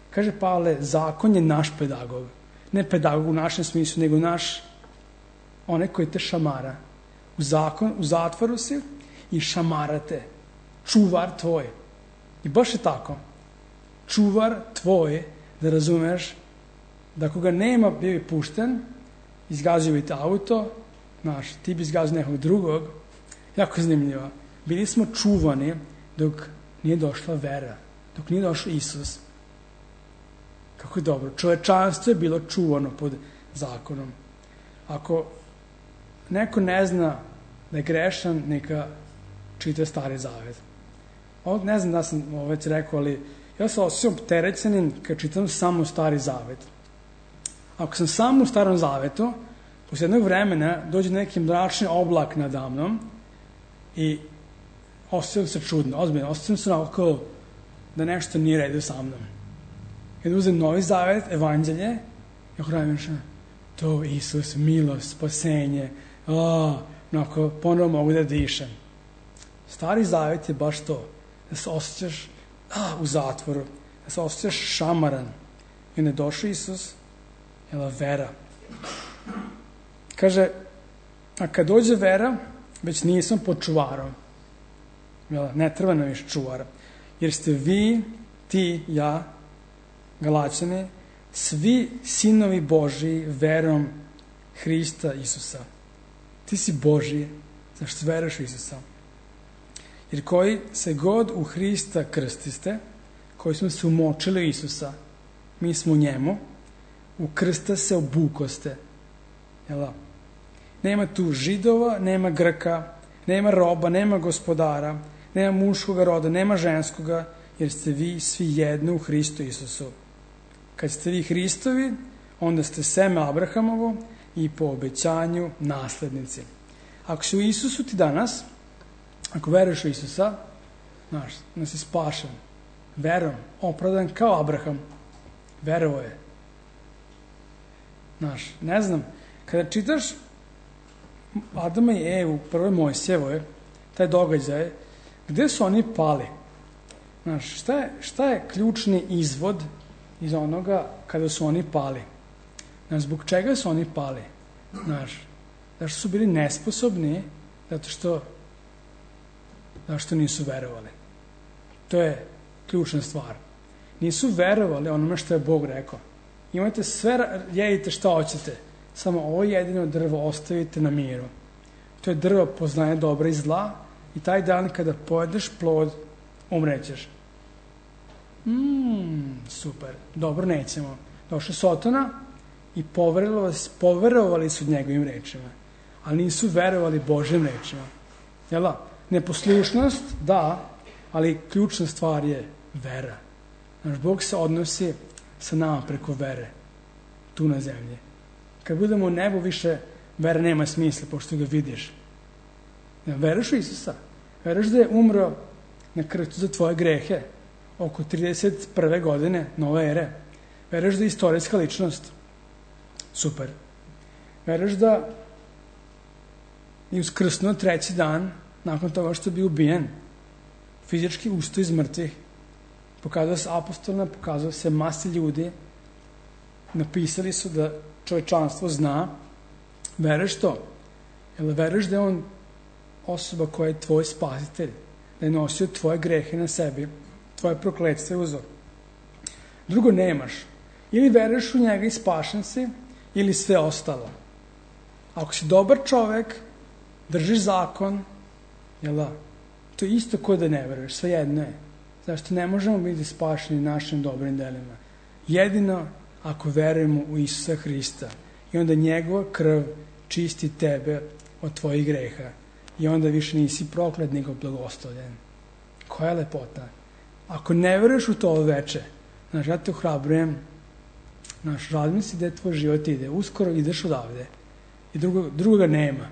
Kaže Pavle, zakon je naš pedagog. Ne pedagog u našem smislu, nego naš, onaj koji te šamara. U, zakon, u zatvoru si i šamarate. Čuvar tvoj. I baš je tako. Čuvar tvoj, da razumeš, da ako ga nema, bio bi pušten, izgazio bi te auto, znaš, ti bi izgazio nekog drugog. Jako zanimljivo. Bili smo čuvani dok nije došla vera, dok nije došao Isus. Kako je dobro. Čovečanstvo je bilo čuvano pod zakonom. Ako neko ne zna da je grešan, neka čita Stari Zavet. Ovo ne znam da sam ovo već rekao, ali ja sam osjećam opterećenim kad čitam samo Stari Zavet. Ako sam samo u Starom Zavetu, posle jednog vremena dođe neki mračni oblak nadamnom i osjećam se čudno, ozbiljno, osjećam se onako da nešto nije redu sa mnom. Kada uzem Novi Zavet, Evanđelje, i ako radim što, to Isus, milost, spasenje, a, onako, ponovo mogu da dišem. Stari Zavet je baš to, da se osjećaš a, u zatvoru, da se osjećaš šamaran. I ne došao Isus, jela vera. Kaže, a kad dođe vera, već nisam pod čuvarom. Jel, ne treba nam više čuvara. Jer ste vi, ti, ja, Galaćani, svi sinovi Božiji verom Hrista Isusa. Ti si Božji, zašto veruješ u Isusa. Jer koji se god u Hrista krstiste, koji smo se umočili u Isusa, mi smo u njemu, u krsta se obukoste. Jel? Nema tu Židova, nema Grka, nema roba, nema gospodara, nema muškoga roda, nema ženskoga, jer ste vi svi jedno u Hristu Isusu. Kad ste vi Hristovi, onda ste seme Abrahamovo i po obećanju naslednici. Ako si u Isusu ti danas, ako veruješ u Isusa, znaš, da si spašen, verom, opravdan kao Abraham, verovo je. Znaš, ne znam, kada čitaš Adama i Evu, prve Mojsijevoj, taj događaj, gde su oni pali? Znaš, šta je, šta je ključni izvod iz onoga kada su oni pali? Znaš, zbog čega su oni pali? Znaš, zašto su bili nesposobni? Zato što zašto nisu verovali. To je ključna stvar. Nisu verovali onome što je Bog rekao. Imate sve, jedite šta hoćete, samo ovo jedino drvo ostavite na miru. To je drvo poznaje dobra i zla i taj dan kada pojedeš plod, umrećeš. Mmm, super, dobro, nećemo. Došao Sotona i poverovali, poverovali su njegovim rečima, ali nisu verovali Božjim rečima. Jel da? Neposlušnost, da, ali ključna stvar je vera. Naš Bog se odnosi sa nama preko vere, tu na zemlji. Kad budemo u nebu, više vera nema smisla, pošto ga vidiš. Veruješ u Isusa? Veruješ da je umro na krstu za tvoje grehe oko trideset prve godine nove ere? Veruješ da je istorijska ličnost? Super. Veruješ da je uskrsnuo treći dan nakon toga što je bio ubijen? Fizički ustao iz mrtvih. Pokazao se apostolima, pokazao se masi ljudi. Napisali su da čovečanstvo zna. Veruješ to? Jel veruješ da je on osoba koja je tvoj spasitelj? Da je nosio tvoje grehe na sebi, tvoje prokletstvo je uzor? Drugo nemaš. Ili veruješ u njega i spašen si, ili sve ostalo. Ako si dobar čovek, držiš zakon, jel da? To je isto ko da ne veruješ, sve jedno je. Zašto ne možemo biti spašeni našim dobrim delima? Jedino ako verujemo u Isusa Hrista. I onda njegova krv čisti tebe od tvojih greha. I onda više nisi proklet, nego blagoslovljen. Koja je lepota? Ako ne veruješ u to veče, znaš, ja te ohrabrujem, znaš, razmisli da tvoj život ide. Uskoro ideš odavde. I drugo, drugoga nema.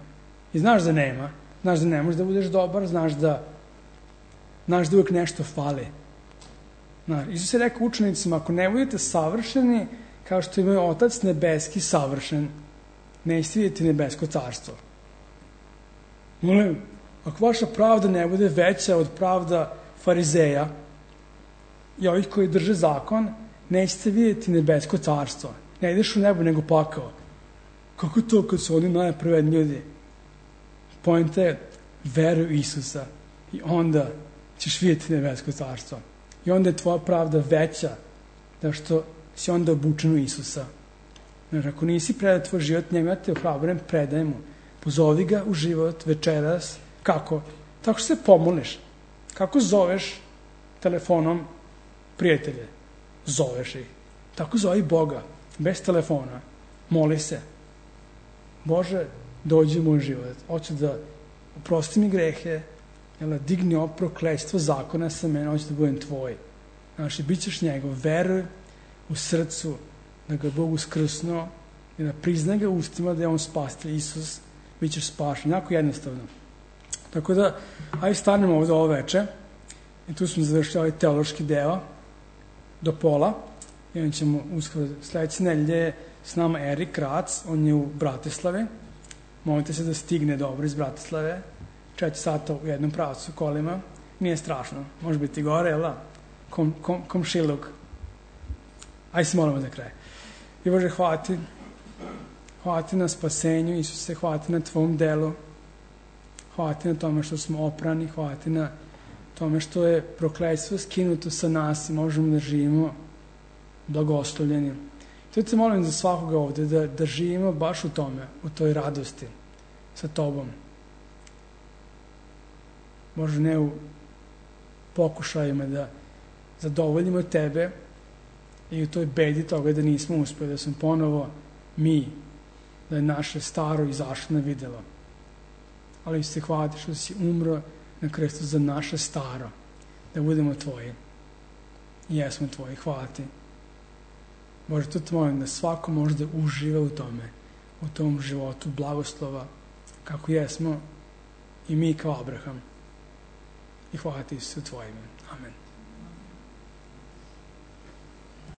I znaš da nema. Znaš da ne možeš da budeš dobar, znaš da znaš da uvijek nešto fali. Znaš, Isus je rekao učenicima, ako ne budete savršeni, kao što je moj Otac nebeski savršen, nećete vidjeti nebesko carstvo. Molim, ako vaša pravda ne bude veća od pravda farizeja i ovih koji drže zakon, nećete vidjeti nebesko carstvo. Ne ideš u nebo, nego pakao. Kako to kad su oni najpravedniji ljudi? Poenta je, veruj u Isusa i onda ćeš vidjeti nebesko carstvo. I onda je tvoja pravda veća, da što si onda obučen u Isusa. Znači, ako nisi predao tvoj život njemu, ja te ohrabrujem, predaj mu. Pozovi ga u život večeras. Kako? Tako što se pomoliš. Kako zoveš telefonom prijatelje? Zoveš ih. Tako zovi Boga, bez telefona. Moli se. Bože, dođi u moj život. Hoću da oprosti mi grehe, jel, digni ovo prokletstvo zakona sa mene, hoću da budem tvoj. Znači, bit ćeš njegov. Veruj u srcu da ga Bog uskrsnuo i da priznaj ga ustima da je on spasitelj Isus, bit ćeš spašen. Jako jednostavno. Tako da, ajde stanemo ovdje ovo veče i tu smo završili ovaj teološki deo do pola i onda ćemo uskoro sledeće nedelje s nama Erik Rac, on je u Bratislavi. Molite se da stigne dobro iz Bratislave. Četiri sata u jednom pravcu kolima. Nije strašno. Može biti gore, jel da? Kom, kom, komšiluk. Ajde se molimo za kraj. I Bože, hvala ti. Hvala ti na spasenju, Isuse, hvala ti na tvom delu. Hvala ti na tome što smo oprani. Hvala ti na tome što je prokletstvo skinuto sa nas i možemo da živimo blagoslovljeni. To te molim za svakoga ovde, da, da živimo baš u tome, u toj radosti sa tobom. Možda ne u pokušajima da zadovoljimo tebe i u toj bedi toga da nismo uspeli, da smo ponovo mi, da je naše staro izašlo na videlo. Ali se hvala ti što si umro na krstu za naše staro, da budemo tvoji. I jesmo tvoji, hvala ti. Bože, to te molim da svako može da uživa u tome, u tom životu blagoslova, kako jesmo i mi kao Abraham. I hvala ti se u tvojim. Amen.